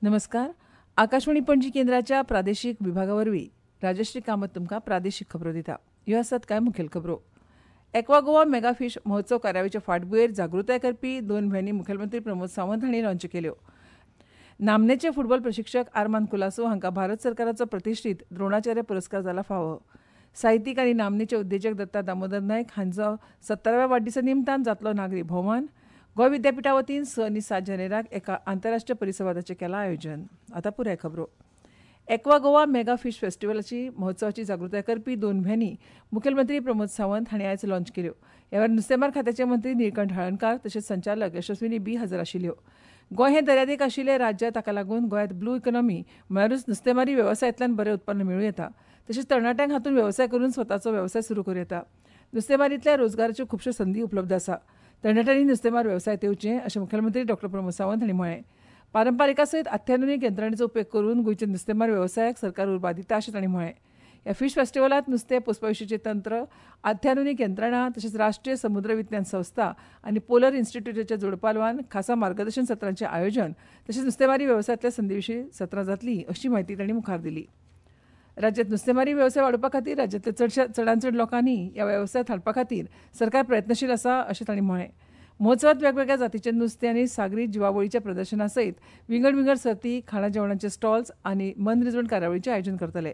नमस्कार. आकाशवाणी पणजी केंद्राच्या प्रादेशिक विभागावरवीं राजश्री कामत तुमकां प्रादेशिक खबरो दिता. ह्यो आसात कांय मुखेल खबरो. एक्वा गोवा मेगा फिश महोत्सव कार्यावळीच्या फाटभुंयेर जागृताय करपी दोन व्हॅनी मुखेलमंत्री प्रमोद सावंत हांणी लॉन्च केल्यो. नामनेचे फुटबॉल प्रशिक्षक आर्मान कुलासो हांकां भारत सरकाराचो प्रतिश्ठीत द्रोणाचार्य पुरस्कार जाला फावो. साहित्यीक आनी नामनेचे उद्देजक दत्ता दामोदर नायक हांचो 70व्या वाडदिसा निमतान जातलो नागरी भोवमान. गोंय विद्यापिठा वतीन 6 आनी 7 जानेराक एका आंतरराष्ट्रीय परिसंवादाचें केलां आयोजन. आतां पुराय खबरो. एक्वा गोवा मेगा फिश फेस्टिवलाची महोत्सवाची जागृताय करपी दोन व्हॅनी मुखेलमंत्री प्रमोद सावंत हांणी आयज लॉन्च केल्यो. ह्या वेळार नुस्तेमार खात्याचे मंत्री निळकंठ हळर्णकार तशेंच संचालक यशस्विनी बी हजर आशिल्ल्यो. गोंय हें दर्यादेग आशिल्लें राज्य, ताका लागून गोंयांत ब्लू इकॉनॉमी म्हळ्यारूच नुस्तेमारी वेवसायांतल्यान बरें उत्पन्न मेळूं येता. तशेंच तरणाट्यांक हातूंत वेवसाय करून स्वताचो वेवसाय सुरू करूं येता. नुस्तेमारींतल्या रोजगाराच्यो खुबश्यो संदी उपलब्ध आसा. तरणाट्यांनी नुस्तेमार वेवसायांत येवचें अशें मुखेलमंत्री डॉ प्रमोद सावंत हांणी म्हळें. पारंपारिका सयत अत्याधुनीक यंत्रणेचो उपेग करून गोंयच्या नुस्तेमार वेवसायाक सरकार उर्बा दिता अशें तांणी म्हळें. ह्या फिश फेस्टिवलांत नुस्तें पोसपा विशींचें तंत्र, अत्याधुनीक यंत्रणा तशेंच राष्ट्रीय समुद्र विज्ञान संस्था आनी पोलर इन्स्टिट्यूटाच्या जोडपालवान खासा मार्गदर्शन सत्रांचें आयोजन तशेंच नुस्तेमारी वेवसायांतल्या संदी विशीं सत्रां जातलीं अशी म्हायती तांणी मुखार दिली. राज्यांत नुस्तेमारी वेवसाय वाडोवपा खातीर राज्यांतल्या चडांत चड लोकांनी ह्या वेवसायांत हाडपा खातीर सरकार प्रयत्नशील आसा अशें तांणी म्हळें. महोत्सवात वेगवेगळ्या जातीचे नुस्तें आनी सागरी जिवावळीच्या प्रदर्शना सयत विंगड विंगड सर्ती, खाणा जेवणाचे स्टॉल्स आनी मनरिजवण कार्यावळीचें आयोजन करतले.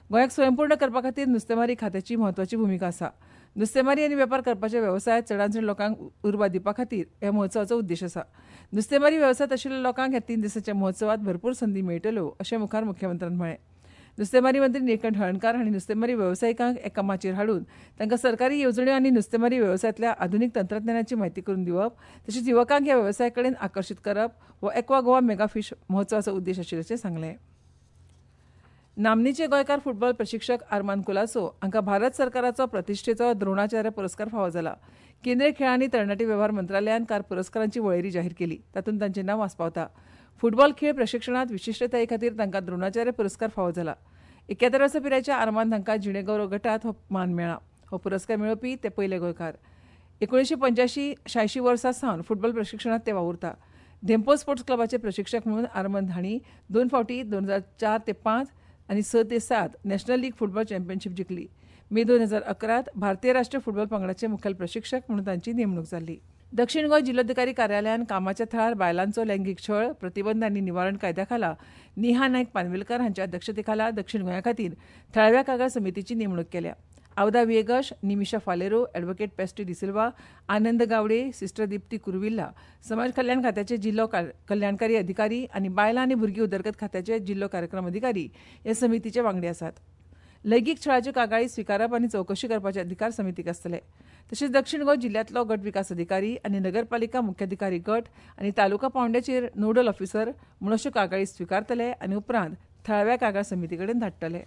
गोंयाक स्वयंपूर्ण करपा खातीर नुस्तेमारी खात्याची म्हत्वाची भुमिका आसा. नुस्तेमारी आनी वेपार करपाच्या वेवसायांत चडांत चड लोकांक उर्बा दिवपा खातीर ह्या महोत्सवाचो उद्देश आसा. नुस्तेमारी वेवसायांत आशिल्ल्या लोकांक ह्या 3 दिसांच्या महोत्सवात भरपूर संदी मेळटल्यो अशें मुखार मुख्यमंत्र्यान म्हळें. नुस्तेमारी मंत्री निळकंठ हळर्णकार हांणी नुस्तेमारी वेवसायिकांक एका माचयेर हाडून तांकां सरकारी येवजण्यो आनी नुस्तेमारी वेवसायांतल्या आधुनीक तंत्रज्ञानाची म्हायती करून दिवप तशेंच युवकांक ह्या वेवसाया कडेन आकर्शीत करप हो एक्वा गोवा मेगा फिश महोत्सवाचो उद्देश आशिल्ल्याचें सांगलें. नामनेचे गोंयकार फुटबॉल प्रशिक्षक आर्मान कुलासो हांकां भारत सरकाराचो प्रतिश्ठेचो द्रोणाचार्य पुरस्कार फावो जाला. केंद्रीय खेळ आनी तरणाटे वेव्हार मंत्रालयान काल पुरस्कारांची वळेरी जाहीर केली. तातूंत तांचें नांव आस्पावता. फुटबॉल खेळ प्रशिक्षणांत विशिश्टताये खातीर तांकां द्रोणाचार्य पुरस्कार फावो जाला. 71 वर्सां पिरायेच्या आर्मान हांकां जिणेगौरव गटांत हो मान मेळ्ळा. हो पुरस्कार मेळोवपी ते पयले गोंयकार. 1985-86 वर्सां सावन फुटबॉल प्रशिक्षणांत ते वावुरता. धेंपो स्पोर्ट्स क्लबाचे प्रशिक्षक म्हणून आर्मंद हांणी 2 फावटी 2004 ते 5 आनी 6 ते 7 नॅशनल लीग फुटबॉल चॅम्पियनशीप जिखली. मे 2011 भारतीय राष्ट्रीय फुटबॉल पंगडाचे मुखेल प्रशिक्षक म्हणून तांची नेमणूक जाल्ली. दक्षिण गोंय जिल्लोधिकारी कार्यालयान कामाच्या थळार बायलांचो लैंगीक छळ प्रतिबंध आनी निवारण कायद्या खाला नेहा नायक पानवेलकर हांच्या अध्यक्षतेखाला दक्षिण गोंया खातीर थळाव्या कागाळ समितीची नेमणूक केल्या. आवदा विएगश, निमिषा फालेरो, ॲडव्होकेट पेस्टी डिसिल्वा, आनंद गावडे, सिस्टर दीप्ती कुरुविल्ला, समाज कल्याण खात्याचे जिल्लो कल्याणकारी अधिकारी आनी बायलां आनी भुरगीं उदरगत खात्याचे जिल्लो कार्यक्रम अधिकारी हे समितीचे वांगडी आसात. लैंगीक छळाच्यो कागाळी स्विकारप आनी चवकशी करपाचे अधिकार समितीक आसतले. तशेंच दक्षिण गोंय जिल्ल्यांतलो गट विकास अधिकारी आनी नगरपालिका मुख्याधिकारी गट आनी तालुका पांवड्याचेर नोडल ऑफिसर म्हूण अश्यो कागाळी स्विकारतले आनी उपरांत थळाव्या कागाळ समिती कडेन धाडटले.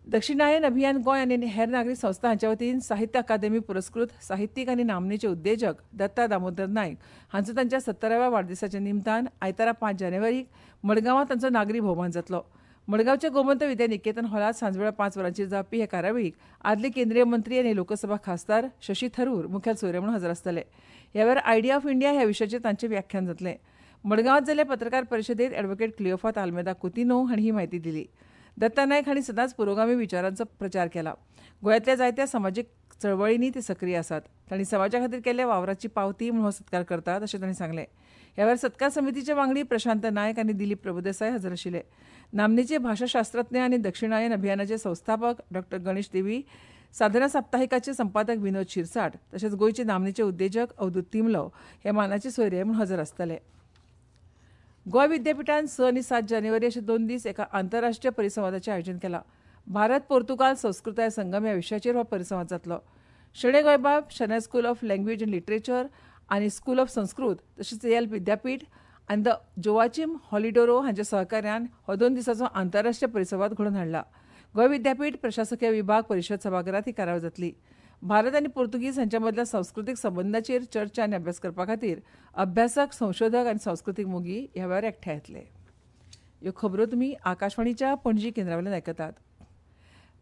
दक्षिणायन अभियान गोंय आनी हेर नागरी संस्था हांच्या वतीन साहित्य अकादेमी पुरस्कृत साहित्यीक आनी नामनेचे उद्देजक दत्ता दामोदर नायक हांचो तांच्या 70व्या वाडदिसाच्या निमतान आयतारा 5 जानेवारीक मडगांवां तांचो नागरी भोवमान जातलो. मडगांवच्या गोमंत विद्या निकेतन हॉलांत सांजवेळा 5 वरांचेर जावपी हे कार्यावळीक आदले केंद्रीय मंत्री आनी लोकसभा खासदार शशी थरूर मुखेल सोयरे म्हणून हजर आसतले. ह्या वेळार आयडिया ऑफ इंडिया ह्या विशयाचेर तांचें व्याख्यान जातलें. मडगांवांत जाल्ल्या पत्रकार परिशदेंत ॲडव्होकेट क्लिओफात आल्मेदा कुतिनो हांणी ही म्हायती दिली. दत्ता नायक हांणी सदांच पुरोगामी विचारांचो प्रचार केला. गोंयांतल्या जायत्या समाजीक चळवळींनी ते सक्रीय आसात. तांणी समाजा खातीर केल्ल्या वावराची पावती म्हूण हो सत्कार करतात अशें तांणी सांगलें. ह्या वेळार सत्कार समितीचे वांगडी प्रशांत नायक आनी दिलीप प्रभुदेसाय हजर आशिल्ले. नामनेचे भाशाशास्त्रज्ञ आनी दक्षिणायन अभियानाचे संस्थापक डॉ गणेश देवी, साधना साप्ताहिकाचे संपादक विनोद शिरसाट तशेंच गोंयचे नामनेचे उद्देजक अवधूत तिमलो हे मानाचे सोयरे म्हूण हजर आसतले. गोंय विद्यापिठान 6 आनी 7 जानेवारी अशे 2 दीस एका आंतरराष्ट्रीय परिसंवादाचें आयोजन केलां. भारत पोर्तुगाल संस्कृताय संगम ह्या विशयाचेर हो परिसंवाद जातलो. Shenoi Goembab Shenoi school of language and literature आनी स्कूल ऑफ संस्कृत तशेंच येल विद्यापीठ आनी the जोवाचिम हॉलिडोरो हांच्या सहकार्यान हो 2 दिसांचो आंतरराष्ट्रीय परिसंवाद घडोवन हाडला. गोंय विद्यापीठ प्रशासकीय विभाग परिशद सभाघरांत ही कार्यावळ जातली. भारत आनी पोर्तुगीज हांच्या मदल्या संस्कृतीक संबंदाचेर चर्चा आनी अभ्यास करपा खातीर अभ्यासक, संशोधक आनी संस्कृतीक मोगी ह्या वेळार एकठांय येतले. ह्यो खबरो तुमी आकाशवाणीच्या पणजी केंद्रा वयल्यान आयकतात.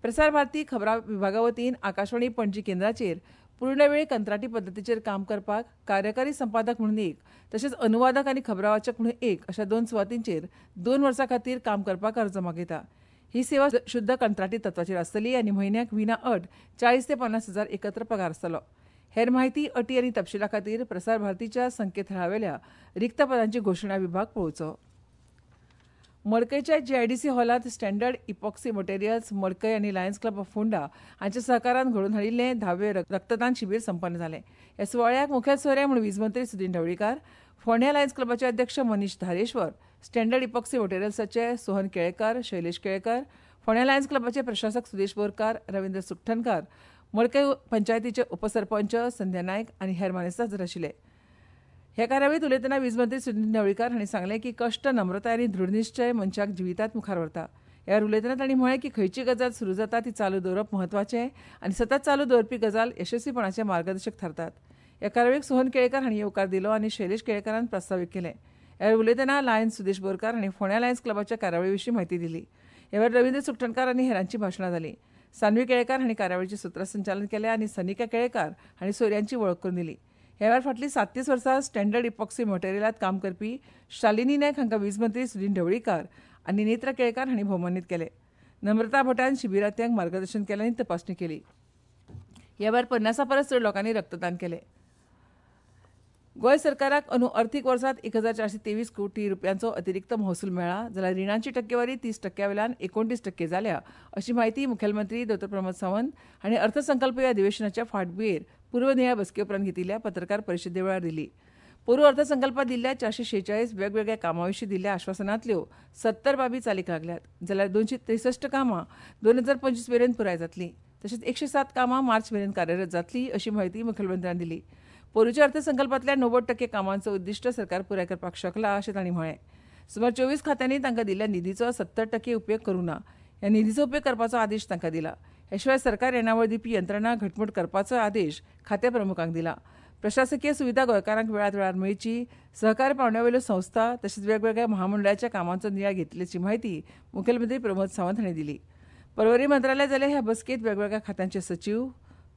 प्रसार भारती खबरां विभागा वतीन आकाशवाणी पणजी केंद्राचेर पूर्णवेळ कंत्राटी पद्दतीचेर काम करपाक कार्यकारी संपादक म्हणून एक, तशेंच अनुवादक आनी खबरावाचक म्हणून एक अशा 2 सुवातींचेर 2 वर्सां खातीर काम करपाक अर्ज मागयता. ही सेवा शुद्ध कंत्राटी तत्वाचेर आसतली आनी म्हयन्याक विना अट 40 ते 50 हजार एकत्र पगार आसतलो. हेर माहिती, अटी आनी तपशिला खातीर प्रसार भारतीच्या संकेतथळावेल्या रिक्त पदांची घोशणा विभाग पळोवचो. मडकयच्या जीआयडीसी हॉलांत स्टँडर्ड इपॉक्सी मटेरियल्स मडकय आनी लायन्स क्लब ऑफ फोंडा हांच्या सहकारान घडोवन हाडिल्लें 10वें रक्तदान शिबीर संपन्न जालें. ह्या सुवाळ्याक मुखेल सोयरे म्हूण वीज मंत्री सुदिन ढवळीकार, फोंड्या लायन्स क्लबाचे अध्यक्ष मनीष धारेश्वर, स्टँडर्ड इपॉक्सी मटेरियल्साचे सोहन केळेकार, शैलेश केळेकार, फोंड्या लायन्स क्लबाचे प्रशासक सुदेश बोरकार, रवींद्र सुखठणकार, मडकय पंचायतीचे उपसरपंच संध्या नायक आनी हेर मानेस्त हजर आशिल्ले. ह्या कार्यावळींत उलयतना वीज मंत्री सुदिन ढवळीकार हांणी सांगलें की कश्ट, नम्रताय आनी दृढनिश्चय मनशाक जिवितांत मुखार व्हरता. ह्या उलयतना तांणी म्हळें की खंयची गजाल सुरू जाता ती चालू दवरप म्हत्वाचें आनी सतत चालू दवरपी गजाल यशस्वीपणाचे मार्गदर्शक थारतात. ह्या कार्यावळीक सोहन केळेकार हांणी येवकार दिलो आनी शैलेश केळेकारान प्रास्तावीक केलें. ह्या वेळार उलयतना लायन्स सुदेश बोरकार हांणी फोंड्या लायन्स क्लबाच्या कार्यावळी विशीं म्हायती दिली. ह्या वेळार रवींद्र सुखठणकार आनी हेरांची भाशणां जालीं. सान्वी केळेकार हांणी कार्यावळीचें सुत्रसंचालन केलें आनी सनिका केळेकार हांणी सोयऱ्यांची वळख करून दिली. ह्या वेळार फाटलीं 37 वर्सां स्टँडर्ड इपॉक्सी मटेरियलांत काम करपी शालिनी नायक हांकां वीज मंत्री सुदिन ढवळीकार आनी नेत्रा केळेकार हांणी भोवमानीत केले. नम्रता भटान शिबिरार्थ्यांक मार्गदर्शन केलें आनी तपासणी केली. ह्या वेळार 50 परस चड लोकांनी रक्तदान केलें. गोंय सरकाराक अंदू अर्थीक वर्सांत 1423 कोटी रुपयांचो अतिरिक्त महसूल मेळ्ळा, जाल्यार रिणांची टक्केवारी 30% वयल्यान 29% जाल्या अशी म्हायती मुखेलमंत्री डॉ. प्रमोद सावंत हांणी अर्थसंकल्पीय अधिवेशनाच्या फाटभुंयेर पूर्वनियाळ बसके उपरांत घेतिल्ल्या पत्रकार परिशदे वेळार दिली. पोरूं अर्थसंकल्पांत दिल्ल्या 446 वेगवेगळ्या कामां विशीं दिल्ल्या आश्वासनांतल्यो 70 बाबी चालीक लागल्यात, जाल्यार 263 कामां 2025 मेरेन पुराय जातलीं, तशेंच 107 कामां मार्च मेरेन कार्यरत जातलीं अशी म्हायती मुखेलमंत्र्यान दिली. पोरूंच्या अर्थसंकल्पांतल्या 90% कामांचो उद्दिश्ट सरकार पुराय करपाक शकला अशें तांणी म्हळें. सुमार 24 खात्यांनी तांकां दिल्ल्या निधीचो 70% उपेग करूंक ना. ह्या निधीचो उपेग करपाचो आदेश तांकां दिला. हे शिवाय सरकार येणावळ दिवपी यंत्रणा घटमूट करपाचो आदेश खातें प्रमुखांक दिला. प्रशासकीय सुविधा गोंयकारांक वेळार वेळार मेळची, सहकार पांवड्यावेल्यो संस्था तशेंच वेगवेगळ्या महामंडळाच्या कामांचो नियाळ घेतिल्ल्याची म्हायती मुखेलमंत्री प्रमोद सावंत हांणी दिली. पर्वरी मंत्रालय जाल्या ह्या बसकेंत वेगवेगळ्या खात्यांचे सचीव,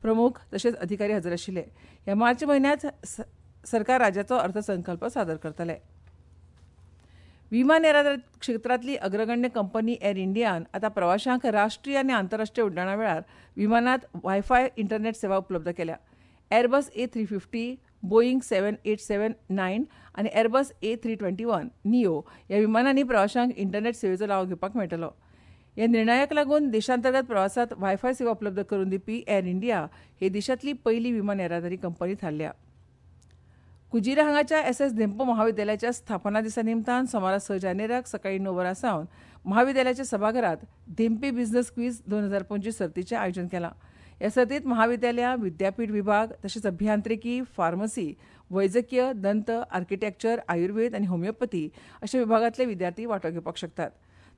प्रमुख तशेंच अधिकारी हजर आशिल्ले. ह्या मार्च म्हयन्यांत सरकार राज्याचो अर्थसंकल्प सादर करतले. विमान येरादारी क्षेत्रांतली अग्रगण्य कंपनी एअर इंडियान आतां प्रवाशांक राष्ट्रीय आनी आंतरराष्ट्रीय उड्डाणा वेळार विमानांत वायफाय इंटरनेट सेवा उपलब्ध केल्या. एअरबस A350, Boeing 787-9 आनी एअरबस A321 neo ह्या विमानांनी प्रवाशांक इंटरनेट सेवेचो लाव घेवपाक मेळटलो. ह्या निर्णयाक लागून देशांतर्गत प्रवासांत वायफाय सेवा उपलब्ध करून दिवपी एअर इंडिया ही देशांतली पयली विमान येरादारी कंपनी थारल्या. कुजिरा हांगाच्या एस.एस. धेंपो महाविद्यालयाच्या स्थापना दिसा निमतान सोमारा 6 जानेराक सकाळीं 9 वरां सावन महाविद्यालयाच्या सभाघरांत धेंपे बिझनेस क्वीज 2025 सर्तीचें आयोजन केलां. ह्या सर्तींत महाविद्यालयां, विद्यापीठ विभाग तशेंच अभियांत्रिकी, फार्मसी, वैजकीय, दंत, आर्किटेक्चर, आयुर्वेद आनी होमिओपॅथी अशा विभागांतले विद्यार्थी वांटो घेवपाक शकतात.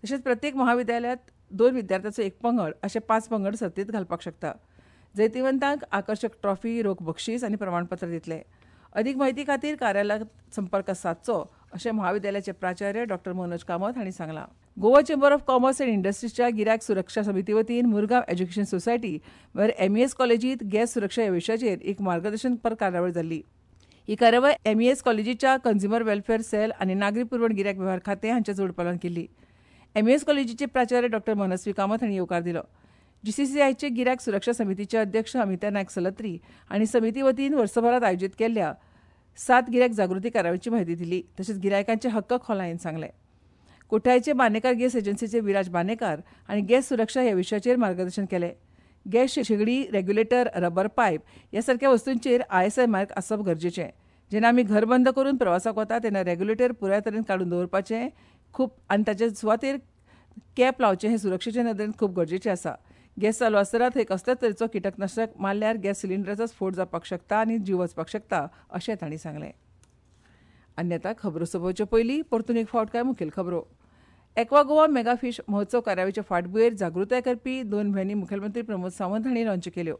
तशेंच प्रत्येक महाविद्यालयांत 2 विद्यार्थ्यांचो एक पंगड अशे 5 पंगड सर्तींत घालपाक शकता. जैतिवंतांक आकर्शक ट्रॉफी, रोख बक्षीस आनी प्रमाणपत्र दितले. अधिक म्हायती खातीर कार्यालयात संपर्क सादचो अशें महाविद्यालयाचे प्राचार्य डॉ. मनोज कामत हांणी सांगलां. Goa chamber of commerce and इंडस्ट्रीजच्या गिरायक सुरक्षा समिती वतीन मुरगांव एज्युकेशन सोसायटी म्हळ्यार एमईएस कॉलेजींत गॅस सुरक्षा ह्या विशयाचेर एक मार्गदर्शनपर कार्यावळ जाल्ली. ही कार्यावळ एमईएस कॉलेजीच्या कंज्युमर वेलफेअर सेल आनी नागरी पुरवण गिरायक वेव्हार खातें हांच्या जोडपालवान केल्ली. एमईएस कॉलेजीचे प्राचार्य डॉ. मनस्वी कामत हांणी येवकार दिलो. जीसीसीआयचे गिरायक सुरक्षा समितीचे अध्यक्ष अमिता नायक सलत्री हांणी समिती वतीन वर्सभरांत आयोजीत केल्ल्या 7 गिरायक जागृती कार्यावळीची म्हायती दिली. तशेंच गिरायकांचे हक्क खोलायेन सांगले. कुठ्ठाळीचे बांदेकार गॅस एजन्सीचे विराज बांदेकार हांणी गॅस सुरक्षा ह्या विशयाचेर मार्गदर्शन केलें. गॅस शेगडी, रेग्युलेटर, रबर पायप ह्या सारक्या वस्तूंचेर आयएसआय मार्क आसप गरजेचें. जेन्ना आमी घर बंद करून प्रवासाक वता तेन्ना रेग्युलेटर पुराय तरेन काडून दवरपाचें खूब आनी ताचे सुवातेर कॅप लावचें हें सुरक्षेचे नदरेन खूब गरजेचें आसा. गॅस चालू आसतना थंय कसल्याच तरेचो किटकनाशक मारल्यार गॅस सिलिंडराचो स्फोट जावपाक शकता आनी जीव वचपाक शकता अशें तांणी सांगलें. आनी आतां खबरो सोंपोवचे पयलीं परतून एक फावट कांय मुखेल खबरो. एक्वा गोवा मेगा फिश महोत्सव कार्यावळीचे फाटभुंयेर जागृताय करपी 2 व्हॅनी मुखेलमंत्री प्रमोद सावंत हांणी लॉन्च केल्यो.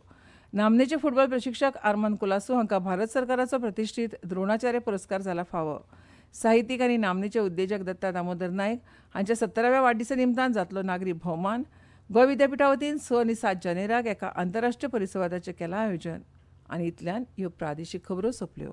नामनेचे फुटबॉल प्रशिक्षक आर्मान कुलासो हांकां भारत सरकाराचो प्रतिश्ठीत द्रोणाचार्य पुरस्कार जाला फावो. साहित्यीक आनी नामनेचे उद्देजक दत्ता दामोदर नायक हांच्या 70व्या वाडदिसा निमतान जातलो नागरी भोवमान. गोंय विद्यापिठा वतीन 6 आनी 7 जानेराक एका आंतरराष्ट्रीय परिसंवादाचें केलां आयोजन. आनी इतल्यान ह्यो प्रादेशीक खबरो सोंपल्यो.